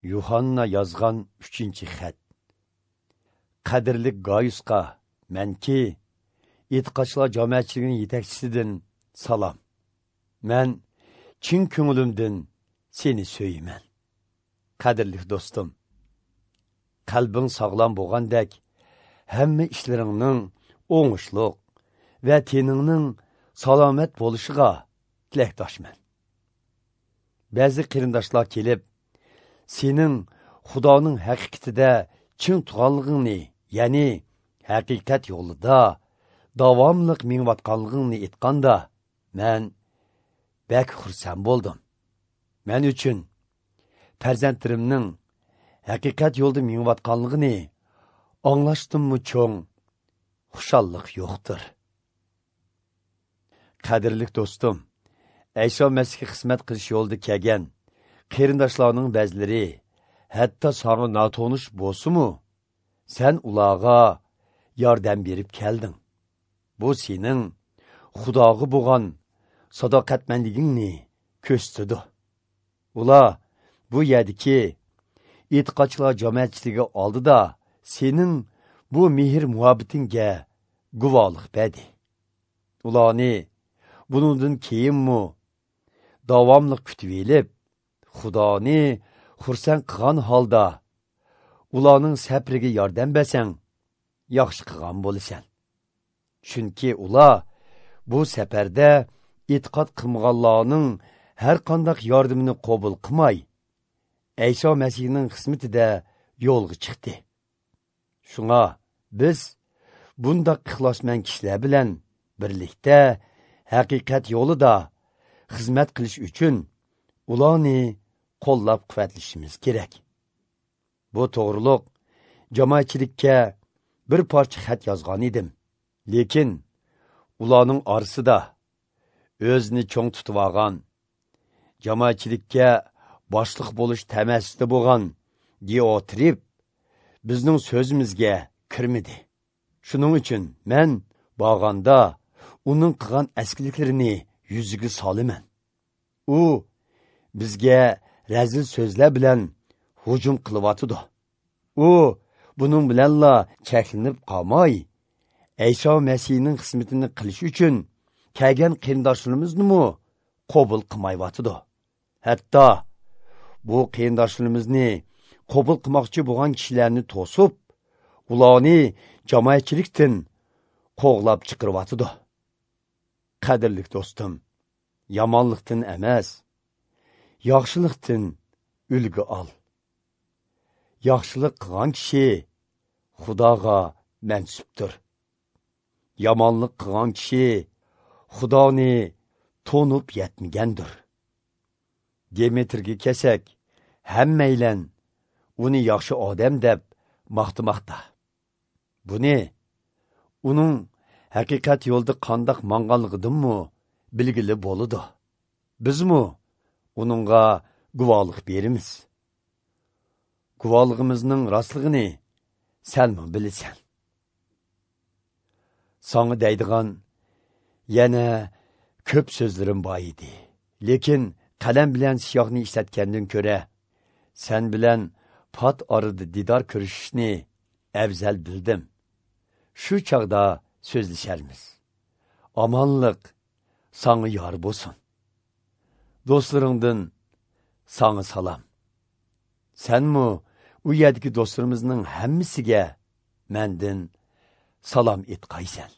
Yuhanna yozgan 3-xat. Qadrli Gayusqa, manki e'tiqodchilar jamoatchiligining yetakchisidan salom. Men chin ko'nglimdan seni so'yman. Qadrli do'stim, qalbing sog'lom bo'lgandek, hamma ishlaringning o'ngishliq va teningning salomat bo'lishiga tilakdoshman. Ba'zi qarindoshlar kelib, sening Xudoning haqiqatida chin turganligingni, ya'ni haqiqat yo'lida davomliq mengayotganligingni aytganda, men bek xursand bo'ldim. Men uchun farzandlarimning haqiqat yo'lida mengayotganligini anglashdimmi cho'ng xushallik yo'qdir. Qadrli do'stim, Ayso Masihga xizmat qilish yo'lida kelgan qarindoshlarning ba'zilari hatto sana notanish bo'lsa-mu, sen ularga yordam berib kelding. Bu sening Xudoga bo'lgan sadoqatmandligingni ko'rsatdi. Ular bu yerdagi e'tiqodchilar jamoatchiligi oldida sening bu mehr muhabbatingga guvohlik berdi. Ularni buningdan keyinmi davomli kutib olib, Xudoni xursand qilgan holda ularning sabriga yordam bersang, yaxshi qilgan bo'lasan. Chunki ular bu safarda e'tiqod qilmaganlarning har qanday yordamini qabul qilmay, Ayso Masihning xizmatida yo'lga chiqdi. Shunga biz bundaq ixlosmand kishilar bilan birlikda haqiqat yo'lida xizmat qilish uchun ularni qo'llab quvvatlashimiz kerak. Bu to'g'riliq jamoatchilikka bir parcha xat yozgan edim. Lekin ularning orasida o'zini cho'ng tutib olgan, jamoatchilikka boshliq bo'lish tamasida bo'lgan Diotrip bizning so'zimizga kirmidi. Shuning uchun men borganda uning qilgan askiliklarini yuziga solaman. U bizga razil so'zlar bilan hujum qilyotidi. U buning bilanla cheklanib qolmay, Ayso Masihning xizmatini qilish uchun kelgan qarindoshlarimizni qabul qilmayotidi. Hatto bu qarindoshlarimizni qabul qilmoqchi bo'lgan kishilarni to'sib, ularni jamoatchilikdan qo'g'lab chiqaryotidi. Qadrli do'stim, yomonlikdan emas, yaxshilikdan ulgu ol. Yaxshilik qilgan kishi Xudoga mansubdir. Yomonlik qilgan kishi Xudoni to'nib yetmagandir. Demetrga kelsak, hammaylan uni yaxshi odam deb maqtamoqda. Buni uning haqiqat yo'lida qandoq manganligidanmi bilgili bo'ladi. Bizmi uningga guvohlik beramiz. Guvohligimizning rostligini senmi bilasan. Sana deydigan yana ko'p so'zlarim bor edi. Lekin qalam bilan siyohni ishlatgandan ko'ra, sen bilan pat orada didor ko'rishishni afzal bildim. Shu chog'da so'zlasharmiz. Omonlik sana yor bo'lsin. Do'stlaringdan sana salom. Senmi u yerdagi do'stlarimizning hammasiga mendan salom etqaysan.